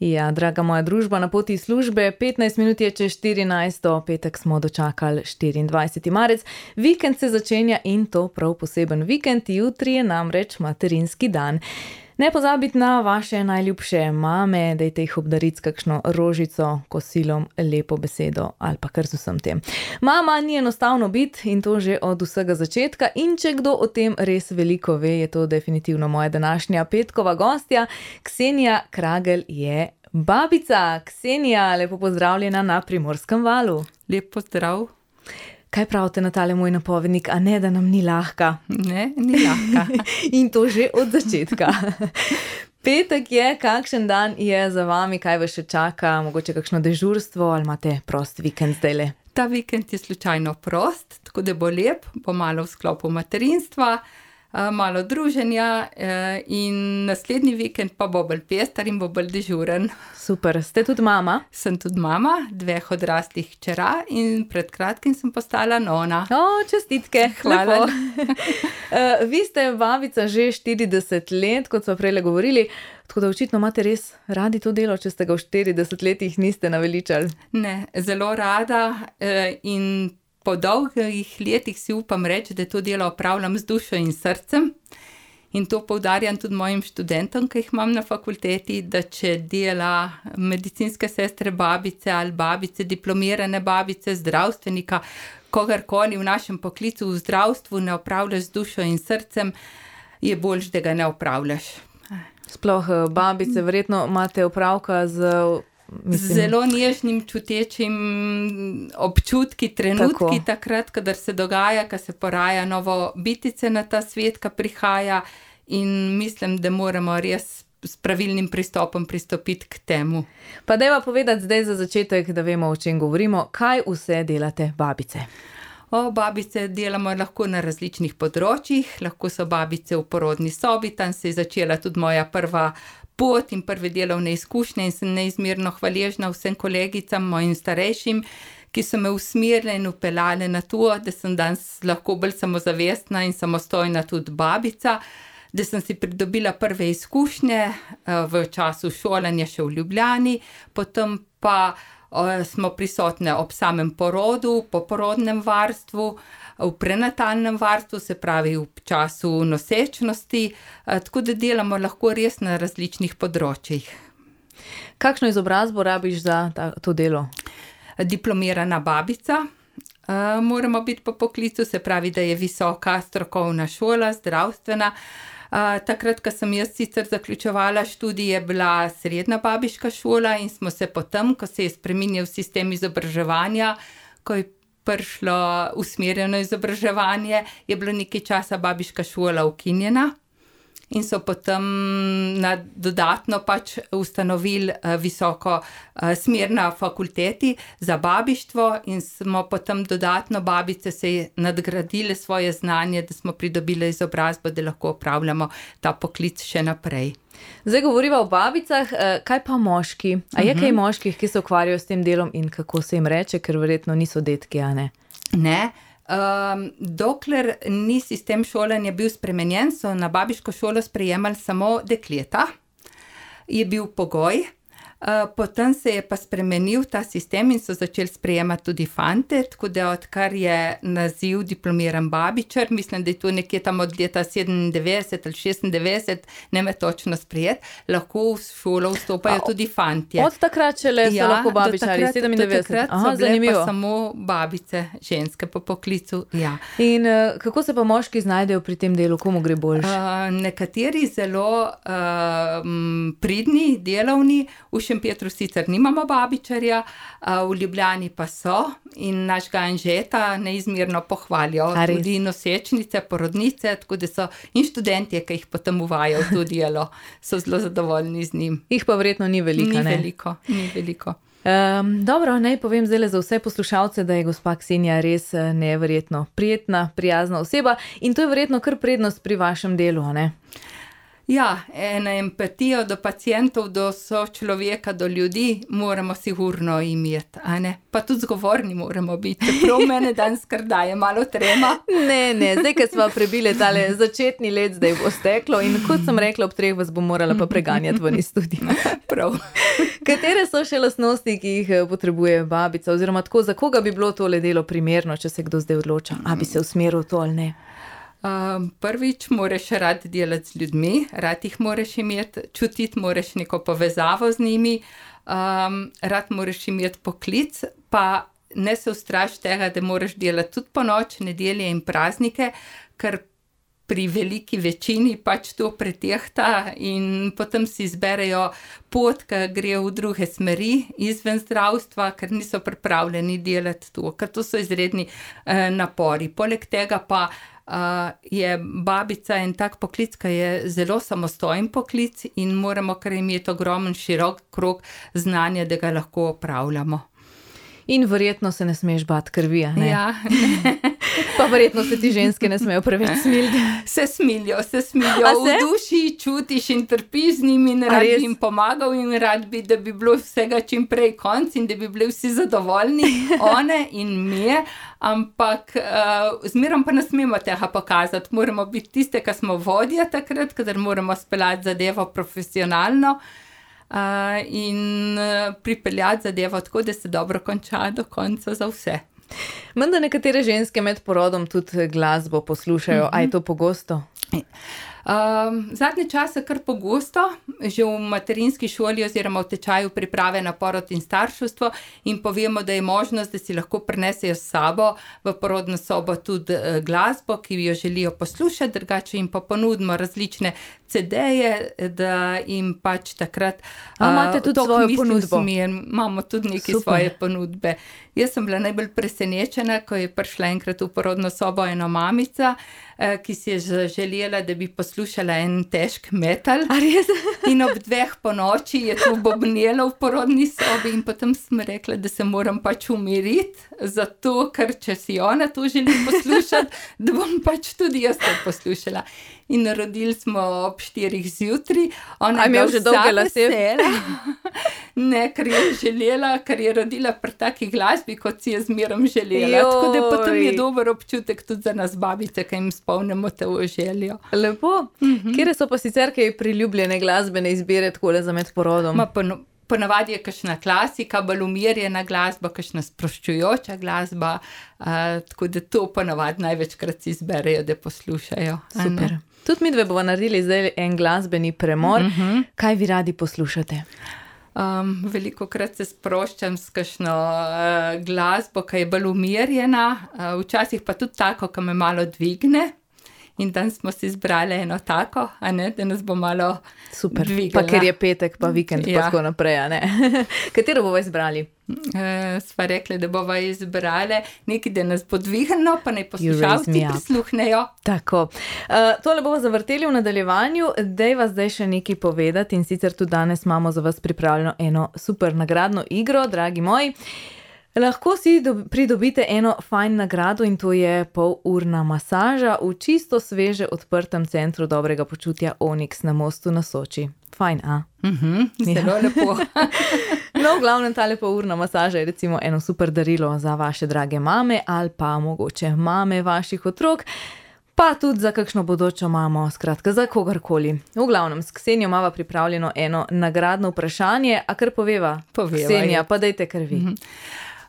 Ja, draga moja družba, na poti iz službe, 15 minut je čez 14, petek smo dočakali 24. marec, vikend se začenja in to prav poseben vikend, jutri je namreč materinski dan. Ne pozabiti na vaše najljubše mame, dajte jih obdariti s kakšno rožico, kosilom, lepo besedo ali pa kar z vsem tem. Mama ni enostavno biti in to že od vsega začetka in če kdo o tem res veliko ve, je to definitivno moja današnja petkova gostja. Ksenija Kragelj je babica. Ksenija, lepo pozdravljena na Primorskem valu. Lep pozdrav. Kaj pravite na tale moj napovednik, a ne, da nam ni lahka? Ne, ni lahka. In to že od začetka. Petek je, kakšen dan je za vami, kaj vas še čaka, mogoče kakšno dežurstvo ali imate prost vikend zdajle? Ta vikend je slučajno prost, tako da bo lep, bo malo v sklopu materinstva, malo druženja in naslednji vikend pa bo bolj pester in bo bolj dežuren. Super, ste tudi mama? Sem tudi mama 2 odraslih hčera in pred kratkim sem postala nona. Čestitke, Hvala. Vi ste babica že 40 let, kot smo prejle govorili, tako da očitno imate res radi to delo, če ste ga v 40 letih niste naveličali. Ne, zelo rada in po dolgih letih si upam reči, da to delo opravljam z dušo in srcem. In to poudarjam tudi mojim študentom, ki jih imam na fakulteti, da če dela medicinske sestre babice ali babice, diplomirane babice, zdravstvenika, kogarkoli v našem poklicu v zdravstvu ne opravljaš z dušo in srcem, je boljše, da ga ne opravljaš. Sploh babice, verjetno imate opravka z... Zelo nježnim, čutečim občutki, trenutki tako. Takrat, kadar se dogaja, ko se poraja novo bitice na ta svet, ko prihaja in mislim, da moramo res s pravilnim pristopom pristopiti k temu. Pa dajva povedati zdaj za začetek, da vemo, o čem govorimo, kaj vse delate babice? Babice delamo lahko na različnih področjih, lahko so babice v porodni sobi, tam se je začela tudi moja prva pot in prve delovne izkušnje in sem neizmerno hvaležna vsem kolegicam, mojim starejšim, ki so me usmerile in upeljale na to, da sem danes lahko bolj samozavestna in samostojna tudi babica, da sem si pridobila prve izkušnje v času šolanja še v Ljubljani, potem pa smo prisotne ob samem porodu, po porodnem varstvu, v prenatalnem varstvu, se pravi v času nosečnosti, tako da delamo lahko res na različnih področjih. Kakšno izobrazbo rabiš za to delo? Diplomirana babica, moramo biti po poklicu, se pravi, da je visoka strokovna šola, zdravstvena. Takrat, ko sem jaz sicer zaključevala študij, je bila srednja babiška šola in smo se potem, ko se je spreminjal sistem izobraževanja, ko je prišlo usmerjeno izobraževanje, je bilo nekaj časa babiška šola ukinjena in so potem dodatno pač ustanovili visoko smer na fakulteti za babištvo in smo potem dodatno babice se nadgradile svoje znanje, da smo pridobile izobrazbo, da lahko opravljamo ta poklic še naprej. Zdaj govoriva o babicah, kaj pa moški? A je kaj moških, ki se ukvarjajo s tem delom in kako se jim reče, ker verjetno niso detki, a ne? Ne. Dokler ni sistem šolanja bil spremenjen, so na babiško šolo sprejemali samo dekleta, je bil pogoj. Potem se je pa spremenil ta sistem in so začeli sprejemati tudi fante, tako da odkar je naziv diplomiran babičar, mislim, da je to nekje tam od leta 97 ali 96, ne me točno sprejeti, lahko v šolo vstopajo tudi fantje. Od takrat šele so lahko babičari, 97? Do takrat so bile pa samo babice, ženske po poklicu. Ja. In kako se pa moški znajdejo pri tem delu, komu gre boljše? Nekateri zelo pridni, delovni, v Šempetru sicer nimamo babičarja, v Ljubljani pa so in našega Anžeta neizmerno pohvalijo. Tudi nosečnice, porodnice, tako da so in študentje, ki jih potem uvajajo v to delo, so zelo zadovoljni z njim. Jih pa verjetno ni veliko, ne? Ni veliko. Dobro, naj povem zdaj za vse poslušalce, da je gospa Ksenija res neverjetno prijetna, prijazna oseba in to je verjetno kar prednost pri vašem delu, ne? Ja, eno empatijo do pacientov, do sočloveka, do ljudi moramo sigurno imeti, a ne? Pa tudi zgovorni moramo biti, čeprav mene danes kar daje malo trema. Ne, zdaj, ko smo prebili tale začetni let, zdaj bo steklo in kot sem rekla, ob 3 vas bom morala pa preganjati ven iz studia. Prav. Katere so še lastnosti, ki jih potrebuje babica, oziroma tako, za koga bi bilo tole delo primerno, če se kdo zdaj odloča, a bi se usmeril to ali ne? Prvič moraš rad delati z ljudmi, rad jih moraš imeti, čutiti moraš neko povezavo z njimi, rad moraš imeti poklic, pa ne se ustraši tega, da moraš delati tudi ponoč, nedelje in praznike, ker pri veliki večini pač to pretehta in potem si izberejo pot, ki gre v druge smeri izven zdravstva, ker niso pripravljeni delati to, ker to so izredni napori. Poleg tega pa je babica en tak poklic, ki je zelo samostojen poklic in moramo kar imeti ogromen širok krog znanja, da ga lahko opravljamo. In verjetno se ne smeš bati krvi, a ne? Ja. Pa verjetno se ti ženske ne smejo preveč smiliti. Se smilijo. V duši čutiš in trpiš z njimi in rad bi jim pomagal in rad bi, da bi bilo vsega čim prej konc in da bi bili vsi zadovoljni, one in mi, ampak zmerom pa ne smemo tega pokazati. Moramo biti tiste, ki smo vodja takrat, kadar moramo speljati zadevo profesionalno, in pripeljati zadevo tako, da se dobro konča do konca za vse. Menda nekatere ženske med porodom tudi glasbo poslušajo, a je to pogosto? Zadnje čase kar pogosto, že v materinski šoli oziroma v tečaju priprave na porod in starševstvo in povemo, da je možnost, da si lahko prinesejo s sabo v porodno sobo tudi glasbo, ki jo želijo poslušati, drugače jim pa ponudimo različne CD-je, da jim pač takrat imate tudi svojo ponudbo? Imamo tudi neke svoje ponudbe. Jaz sem bila najbolj presenečena, ko je prišla enkrat v porodno sobo ena mamica, ki si je želela, da bi poslušala en težk metal. A res? In ob 2 ponoči je to bobnelo v porodni sobi in potem sem rekla, da se moram pač umiriti, zato ker če si ona to želi poslušati, da bom pač tudi jaz to poslušala. In rodili smo ob 4 zjutraj. Ona je že dolge lase? Ne, ker je želela, ker je rodila pri taki glasbi, kot si je zmerom želela. Tako da potem je dober občutek tudi za nas babice, ki jim spomnimo to željo. Lepo. Kere so pa sicer kaj priljubljene glasbene izbire takole za med porodom? Ponavadi je kakšna klasika, bolj umirjena glasba, kakšna sproščujoča glasba, tako da to ponavadi največkrat si izberejo, da poslušajo. Super. Tudi midve bova naredili zdaj en glasbeni premor. Kaj vi radi poslušate? Velikokrat se sproščam s kakšno glasbo, ki je bolj umirjena, včasih pa tudi tako, ki me malo dvigne. In danes smo si izbrali eno tako, a ne, da nas bo malo super dvigala. Pa ker je petek, pa vikend, pa tako naprej, a ne. Katero bova izbrali? Sva rekli, da bova izbrali nekaj, da nas bo dvignilo, pa naj poslušalci prisluhnejo. Tako. Tole bova zavrteli v nadaljevanju, daj vas zdaj še nekaj povedati in sicer tudi danes imamo za vas pripravljeno eno super nagradno igro, dragi moji. Lahko si pridobite eno fajn nagrado in to je polurna masaža v čisto sveže odprtem centru dobrega počutja Onyx na Mostu na Soči. Fajn, a? Zelo lepo. No, v glavnem tale polurna masaža je recimo eno super darilo za vaše drage mame ali pa mogoče mame vaših otrok, pa tudi za kakšno bodočo mamo, skratka za kogarkoli. V glavnem, s Ksenijo imava pripravljeno eno nagradno vprašanje, a kar poveva? Ksenija, pa dajte kar vi.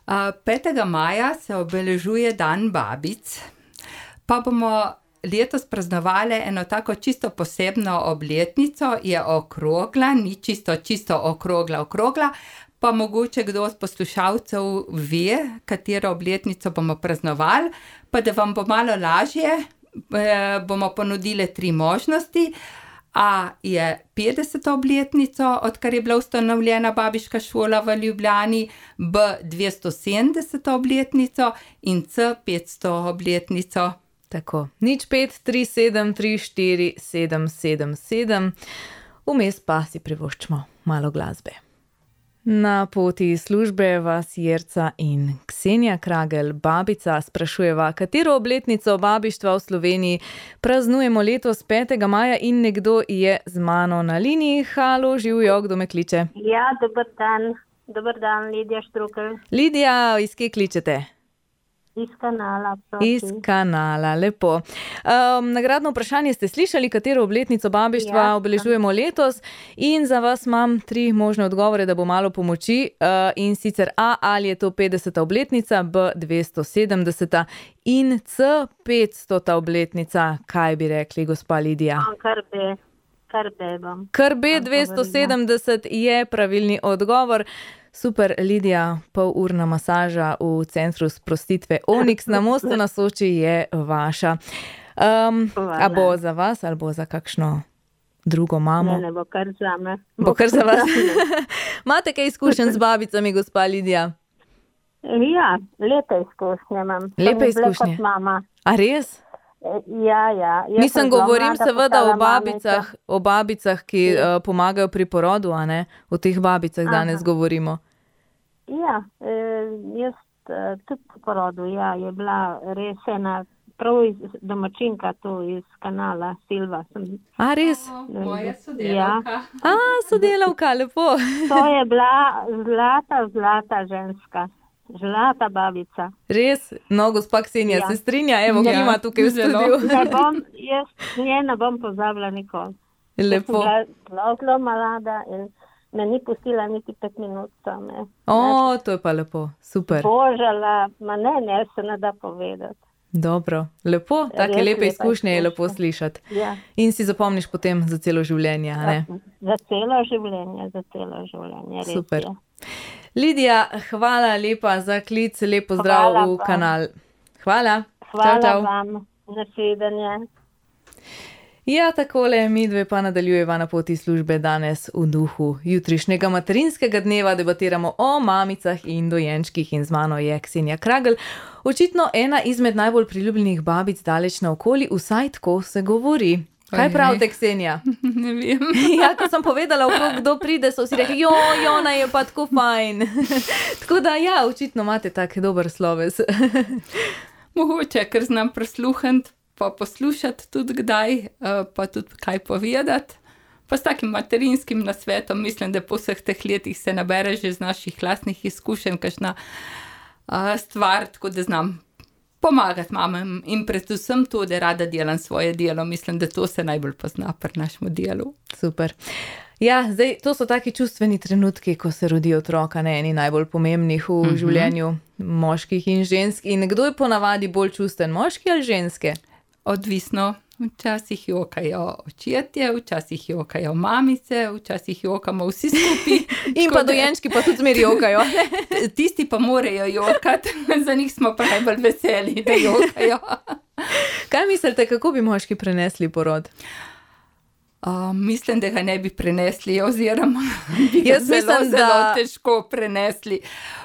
5. maja se obeležuje dan babic, pa bomo letos praznovali eno tako čisto posebno obletnico, je okrogla, ni čisto okrogla, pa mogoče kdo od poslušalcev ve, katero obletnico bomo praznovali, pa da vam bo malo lažje, bomo ponudili 3 možnosti. A je 50. obletnico, odkar je bila ustanovljena babiška šola v Ljubljani, B 270. obletnico in C 500. obletnico. Tako, 0537347777, vmes pa si privoščimo malo glasbe. Na poti iz službe vas Jerca in Ksenija Kragelj, babica, sprašujeva, katero obletnico babištva v Sloveniji praznujemo letos 5. maja in nekdo je z mano na liniji. Halo, živjo, kdo me kliče? Ja, dober dan, Lidija Štrukelj. Lidija, iz kje kličete? Iz Kanala. Proti. Iz Kanala, lepo. Nagradno vprašanje ste slišali, katero obletnico babištva obeležujemo letos, in za vas imam 3 možne odgovore, da bo malo pomoči. In sicer A, ali je to 50. obletnica, B, 270. in C, 500. obletnica. Kaj bi rekli, gospa Lidija? Kar B bom. Kar B, 270 je pravilni odgovor. Super, Lidija, polurna masaža v centru sprostitve Onyx na Mostu na Soči je vaša. A bo za vas ali bo za kakšno drugo mamo? Ne, bo kar za me. Bo kar za vas. Imate kaj izkušenj z babicami, gospa Lidija? Ja, lepe izkušnje imam. Lepe izkušnje? A res? Ja. Mislim, govorim seveda o babicah, ki pomagajo pri porodu, a ne? O teh babicah danes govorimo. Ja, jaz tudi po porodu, ja, je bila res ena prav domačinka tu iz Kanala, Silva. A res? Moja sodelavka. A, sodelavka, lepo. To je bila zlata ženska. Zlata babica. Res? No, gospa Ksenija se strinja, evo, ki ima tukaj v studiu. Jaz ne bom pozabila nikoli. Lepo. Zelo mlada in me ni pustila niti 5 minut same. O, to je pa lepo, super. Božala, ne se ne da povedati. Dobro, lepo, take lepe izkušnje je lepo slišati. Ja. In si zapomniš potem za celo življenje, a ne? Za celo življenje, res. Super. Lidija, hvala lepa za klic, lep pozdrav v Kanal. Hvala. Hvala vam, nasvidenje. Ja, takole, midve pa nadaljujeva na poti službe danes v duhu jutrišnjega materinskega dneva. Debatiramo o mamicah in dojenčkih in z mano je Ksenija Kragelj. Očitno ena izmed najbolj priljubljenih babic daleč naokoli, vsaj tako se govori. Kaj pravite, Ksenija? Ne vem. Ja, ko sem povedala, kdo pride, so vsi rekli, ona je pa tako fajn. Tako da, ja, očitno imate tak dober sloves. Mogoče, ker znam prisluhniti, pa poslušati tudi kdaj, pa tudi kaj povedati. Pa s takim materinskim nasvetom, mislim, da po vseh teh letih se nabere že z naših lastnih izkušenj kakšna stvar, tako da znam pomagati mamam in predvsem to, da rada delam svoje delo. Mislim, da to se najbolj pozna pri našemu delu. Super. Ja, zdaj, to so taki čustveni trenutki, ko se rodi otroka, ne, eni najbolj pomembnih v življenju moških in žensk. In kdo je ponavadi bolj čusten, moški ali ženske? Odvisno. Včasih jokajo očetje, včasih jokajo mamice, včasih jokamo vsi skupaj. In pa dojenčki pa tudi zmeri jokajo. Tisti pa morajo jokati, za njih smo pa najbolj veseli, da jokajo. Kaj mislite, kako bi moški prenesli porod? Mislim, da ga ne bi prenesli, oziroma bi ga zelo težko prenesli.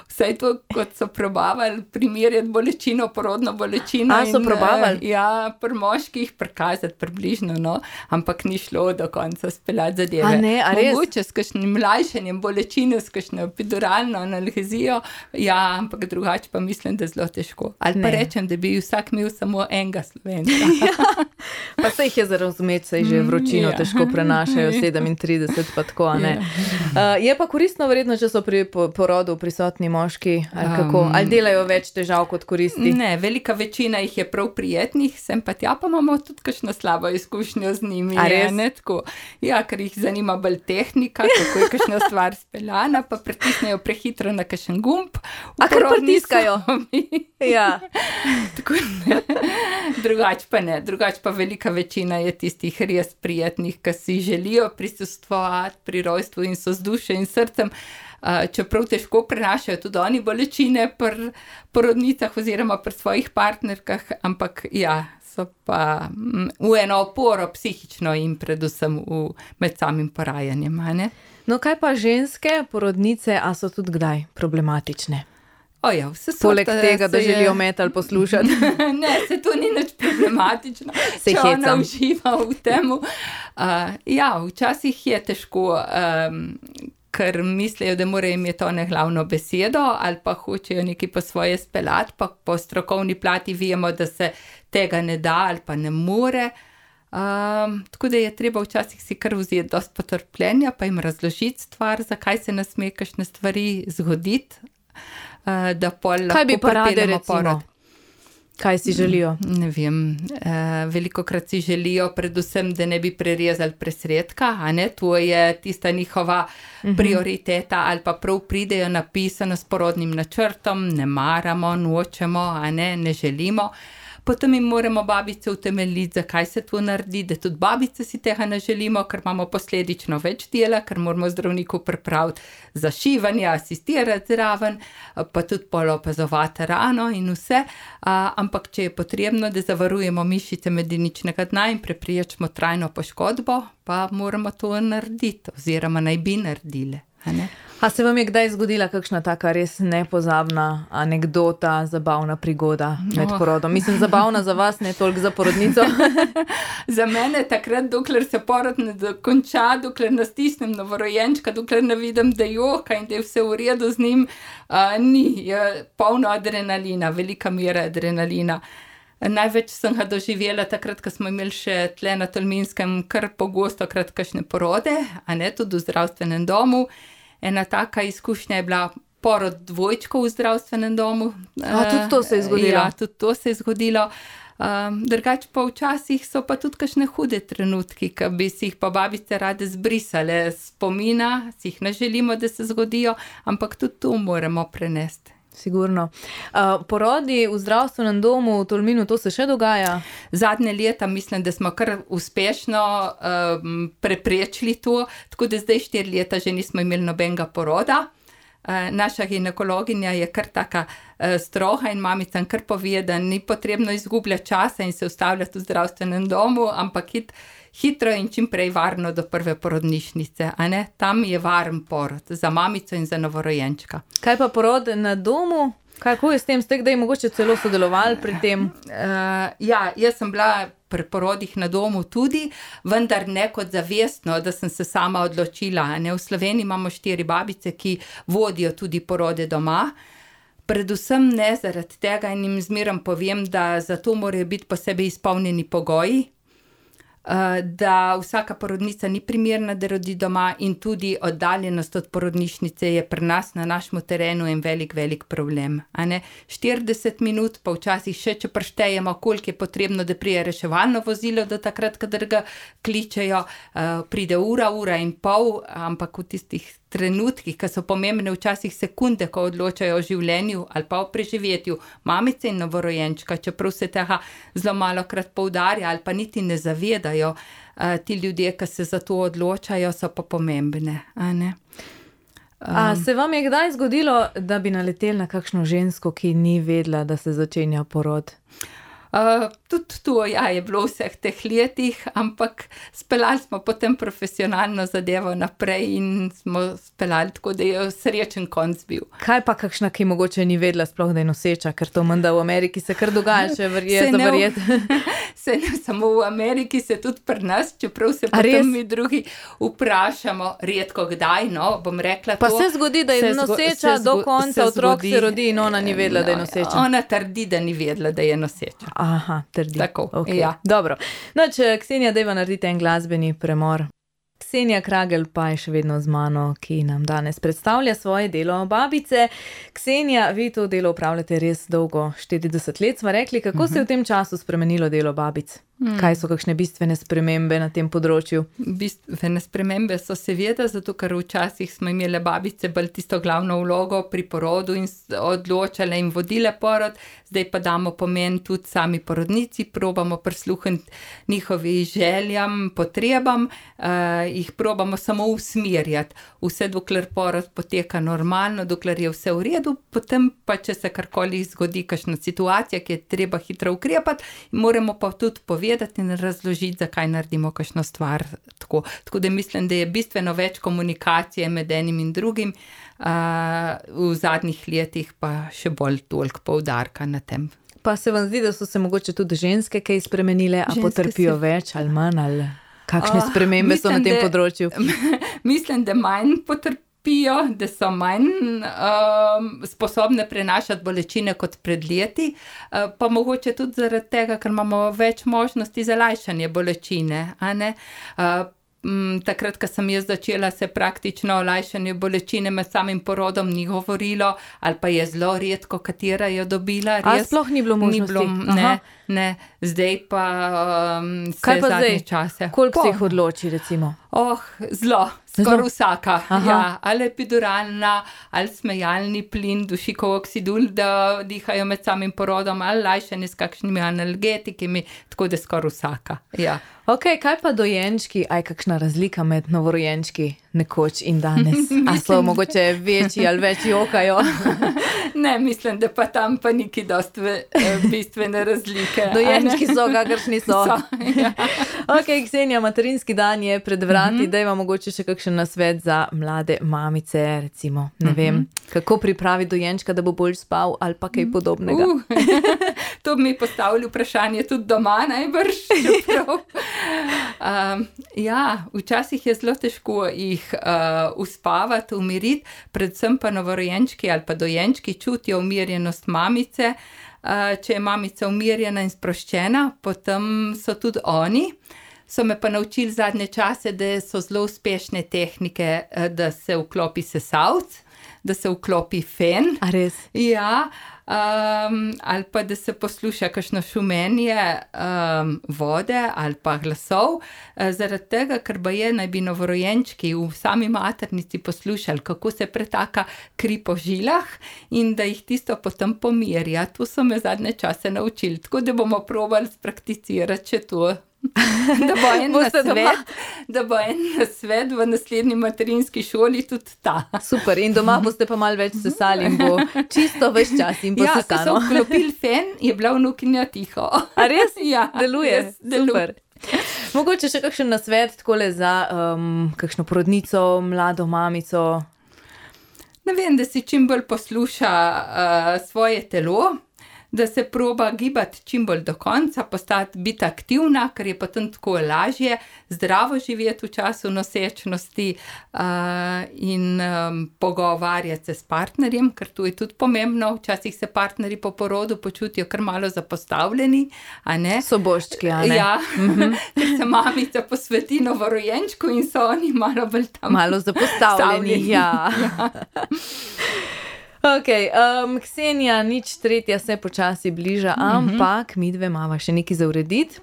Vsaj to, kot so probavali primerjati bolečino, porodno bolečino. So probavali? Ja, pri moških prikazati približno, no, ampak ni šlo do konca speljati zadeve. A ne, a res? Mogoče s kakšnim mlajšanjem bolečine, s kakšno epiduralno analgezijo, ja, ampak drugače pa mislim, da zelo težko. Ali pa rečem, da bi vsak imel samo enega Slovenca. Ja, pa se jih je za razumeti, se že vročino težko prenašajo, 37 pa tako, a ne. Je pa koristno verjetno, če so pri porodu prisotni moški, ali kako? Ali delajo več težav kot koristi? Ne, velika večina jih je prav prijetnih, sem pa tja, pa imamo tudi kakšno slabo izkušnjo z njimi. A res? Ne, tako. Ja, ker jih zanima bolj tehnika, kako je kakšna stvar speljana, pa pritisnejo prehitro na kakšen gumb. A kar pritiskajo? Ja. Tako ne. Drugače pa ne. Drugače pa velika večina je tistih res prijetnih, ki si želijo prisostvovati pri rojstvu in so z dušo in srcem. Čeprav težko prenašajo tudi oni bolečine pri porodnicah oziroma pri svojih partnerkah, ampak ja, so pa v eno oporo psihično in predvsem med samim porajanjem. Ne? No, kaj pa ženske porodnice, a so tudi kdaj problematične? Ja, poleg tega, da želijo metal poslušati. Ne, se to ni nič problematično, če ona uživa v temu. Ja, včasih je težko, ker mislijo, da morajo imeti one glavno besedo ali pa hočejo nekaj po svoje speljati, pa po strokovni plati vemo, da se tega ne da ali pa ne more. Tako da je treba včasih si kar vzeti dosti potrpljenja, pa jim razložiti stvar, zakaj se ne sme kakšne stvari zgoditi, da pol lahko Kaj bi pa rade, pripeljemo recimo? porod. Kaj si želijo? Ne vem, velikokrat si želijo predvsem, da ne bi prerezali presredka, a ne, to je tista njihova prioriteta, ali pa prav pridejo napisano s porodnim načrtom, ne maramo, nočemo, a ne želimo. Potem jim moramo babice utemeljiti, zakaj se to naredi, da tudi babice si tega ne želimo, ker imamo posledično več dela, ker moramo zdravniku pripraviti zašivanje, asistirati zraven, pa tudi pol opazovati rano in vse. Ampak če je potrebno, da zavarujemo mišice medeničnega dna in preprečimo trajno poškodbo, pa moramo to narediti oziroma naj bi naredile. A ne? A se vam je kdaj zgodila kakšna taka res nepozabna anekdota, zabavna prigoda med porodom? Mislim, zabavna za vas, ne toliko za porodnico. Za mene takrat, dokler se porod ne dokonča, dokler ne stisnem novorojenčka, dokler ne vidim, da joka in da je vse v redu z njim, je polno adrenalina, velika mera adrenalina. Največ sem ga doživela takrat, ko smo imeli še tle na Tolminskem kar pogosto krat kakšne porode, a ne, tudi v zdravstvenem domu. Ena taka izkušnja je bila porod dvojčkov v zdravstvenem domu. Tudi to se je zgodilo? Ja, tudi to se je zgodilo. Drugače pa včasih so pa tudi kakšne hude trenutki, ki bi si jih pa babice rade zbrisale spomina, si jih ne želimo, da se zgodijo, ampak tudi to moramo prenesti. Sigurno. Porodi v zdravstvenem domu v Tolminu, to se še dogaja? Zadnje leta mislim, da smo kar uspešno preprečili to, tako da zdaj 4 leta že nismo imeli nobenega poroda. Naša ginekologinja je kar taka stroga in mamicam kar pove, da ni potrebno izgubljati časa in se ustavljati v zdravstvenem domu, ampak hitro in čim prej varno do prve porodnišnice, a ne? Tam je varen porod za mamico in za novorojenčka. Kaj pa porod na domu? Kako je s tem? Ste kdaj mogoče celo sodelovali pri tem? Ja, jaz sem bila pri porodih na domu tudi, vendar ne kot zavestno, da sem se sama odločila. Ne? V Sloveniji imamo 4 babice, ki vodijo tudi porode doma. Predvsem ne zaradi tega in jim zmerom povem, da za to morajo biti posebej izpolnjeni pogoji, da vsaka porodnica ni primerna, da rodi doma in tudi oddaljenost od porodnišnice je pri nas na našem terenu en velik problem. A ne? 40 minut, pa včasih še, če preštejemo, koliko je potrebno, da prije reševalno vozilo do takrat, kadar ga kličejo, pride ura in pol, ampak v tistih trenutkih, ki so pomembne včasih sekunde, ko odločajo o življenju ali pa o preživetju mamice in novorojenčka, čeprav se tega zelo malokrat poudarja ali pa niti ne zavedajo, ti ljudje, ki se za to odločajo, so pa pomembne, a ne? A se vam je kdaj zgodilo, da bi naleteli na kakšno žensko, ki ni vedela, da se začenja porod? Tudi to, ja, je bilo v vseh teh letih, ampak speljali smo potem profesionalno zadevo naprej in smo speljali tako, da je srečen konc bil. Kaj pa kakšna, ki mogoče ni vedela sploh, da je noseča, ker to menda v Ameriki se kar dogaja, če verjeti. Se ne samo v Ameriki, se tudi pri nas, čeprav se potem mi drugi vprašamo, redko kdaj, no, bom rekla to. Pa se zgodi, da je noseča do konca, otrok se rodi in ona ni vedela, da je noseča. Ona trdi, da ni vedela, da je noseča. Aha, trdi. Tako, okay. Ja. Dobro. Če Ksenija, dajva narediti en glasbeni premor. Ksenija Kragelj pa je še vedno z mano, ki nam danes predstavlja svoje delo babice. Ksenija, vi to delo upravljate res dolgo, 40 let sva rekli. Kako se je v tem času spremenilo delo babic? Kaj so kakšne bistvene spremembe na tem področju? Bistvene spremembe so seveda, zato ker včasih smo imeli babice bolj tisto glavno vlogo pri porodu in odločale in vodile porod, zdaj pa damo pomen tudi sami porodnici, probamo prisluhniti njihovim željam, potrebam, jih probamo samo usmerjati. Vse dokler porod poteka normalno, dokler je vse v redu, potem pa če se karkoli zgodi, kakšna situacija, ki je treba hitro ukrepati, moramo pa tudi povedati in razložiti, zakaj naredimo kakšno stvar tako. Tako da mislim, da je bistveno več komunikacije med enim in drugim, v zadnjih letih pa še bolj toliko poudarka na tem. Pa se vam zdi, da so se mogoče tudi ženske kaj spremenile, a potrpijo več ali manj, ali kakšne spremembe so na tem področju? Mislim, da manj potrpijo, spijo, da so manj sposobne prenašati bolečine kot pred leti, pa mogoče tudi zaradi tega, ker imamo več možnosti za lajšanje bolečine, a ne? Takrat, ko sem jaz začela, se praktično o lajšanju bolečine med samim porodom ni govorilo, ali pa je zelo redko, katera je dobila. A sploh ni bilo možnosti? Ne. Zdaj pa Kaj pa zadnje zdaj? čase. Koliko se jih odloči, recimo? Zelo. Skoraj vsaka. Ja, ali epiduralna, ali smejalni plin, dušikov oksidul, da dihajo med samim porodom, ali lajšanje s kakšnimi analgetikami, tako da skoraj vsaka. Ja. Ok, kaj pa dojenčki? Aj, kakšna razlika med novorojenčki nekoč in danes? A so mogoče večji ali več jokajo? Ne, mislim, da pa tam pa niki dosti bistvene razlike. Dojenčki so, kakršni so. Ja. Ok, Ksenija, materinski dan je pred vrati, da ima mogoče še kakšen nasvet za mlade mamice, recimo, ne vem, kako pripraviti dojenčka, da bo bolj spal ali pa kaj podobnega. To bi mi postavili vprašanje tudi doma najbrž. Ja, včasih je zelo težko jih uspavati, umiriti, predvsem pa novorojenčki ali pa dojenčki čutijo umirjenost mamice. Če je mamica umirjena in sproščena, potem so tudi oni. So me pa naučili zadnje čase, da so zelo uspešne tehnike, da se vklopi sesalc, da se vklopi fen. A res? Ja, ali pa da se posluša kakšno šumenje vode ali pa glasov, zaradi tega, ker baje naj bi novorojenčki v sami maternici poslušali, kako se pretaka kri po žilah in da jih tisto potem pomirja. To so me zadnje čase naučili, tako da bomo probali sprakticirati še to. Da bo en nasvet v naslednji materinski šoli tudi ta. Super, in doma boste pa malo več sesali in bo čisto ves čas in bo ko sesano. so vklopili fen, je bila vnukinja tiho. A res? Ja, Deluje? Super. Mogoče še kakšen nasvet takole za kakšno porodnico, mlado mamico? Ne vem, da si čim bolj posluša svoje telo, da se proba gibati čim bolj do konca, biti aktivna, ker je potem tako lažje, zdravo živeti v času nosečnosti in pogovarjati se s partnerjem, ker to je tudi pomembno. Včasih se partnerji po porodu počutijo kar malo zapostavljeni, a ne? Soboščki, a ne? Ja, ker se mamica posveti novorojenčku in so oni malo bolj tam. Malo zapostavljeni, ja. Ok, Ksenija, nič tretja se počasi bliža, ampak midve imava še nekaj za urediti.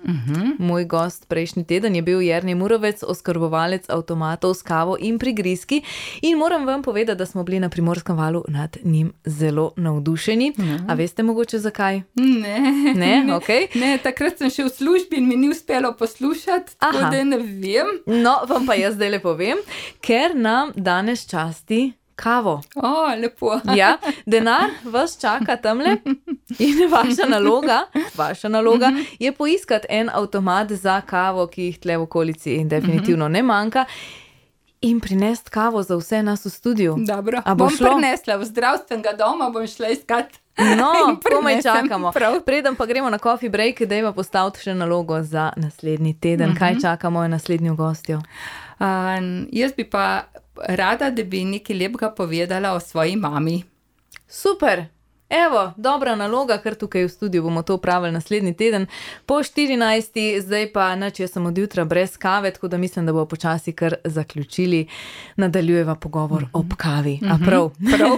Moj gost prejšnji teden je bil Jernej Murovec, oskrbovalec avtomatov s kavo in prigrizki, in moram vam povedati, da smo bili na Primorskem valu nad njim zelo navdušeni. A veste mogoče zakaj? Ne, ok. Ne, takrat sem še v službi in mi ni uspelo poslušati, tako da ne vem. No, vam pa jaz zdajle povem, ker nam danes časti kavo. Lepo. Ja, denar vas čaka tamle in vaša naloga je poiskati en avtomat za kavo, ki jih tle v okolici definitivno ne manjka, in prinesti kavo za vse nas v studiu. Dobro, bom prinesla v zdravstvenega doma, bom šla iskat. No, komaj čakamo. Preden pa gremo na coffee break, dajva postaviti še nalogo za naslednji teden. Kaj čaka mojo naslednjo gostjo? Jaz bi pa rada, da bi nekaj lepega povedala o svoji mami. Super! Evo, dobra naloga, ker tukaj v studiu bomo to opravili naslednji teden. Po 14. Zdaj pa nič, jaz sem od jutra brez kave, tako da mislim, da bo počasi kar zaključili. Nadaljujeva pogovor ob kavi. A prav? Prav.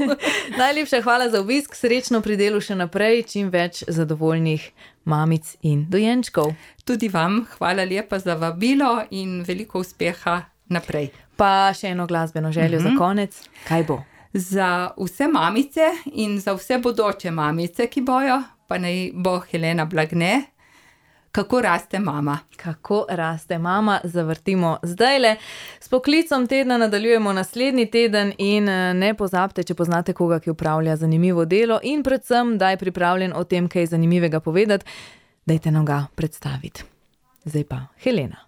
Najlepša hvala za obisk, srečno pri delu še naprej, čim več zadovoljnih mamic in dojenčkov. Tudi vam hvala lepa za vabilo in veliko uspeha naprej. Pa še eno glasbeno željo za konec. Kaj bo? Za vse mamice in za vse bodoče mamice, ki bojo, pa naj bo Helena Blagne, Kako raste mama. Kako raste mama, zavrtimo zdajle. S poklicom tedna nadaljujemo naslednji teden in ne pozabite, če poznate koga, ki upravlja zanimivo delo in predvsem, da je pripravljen o tem, kaj zanimivega povedati, dajte nam ga predstaviti. Zdaj pa Helena.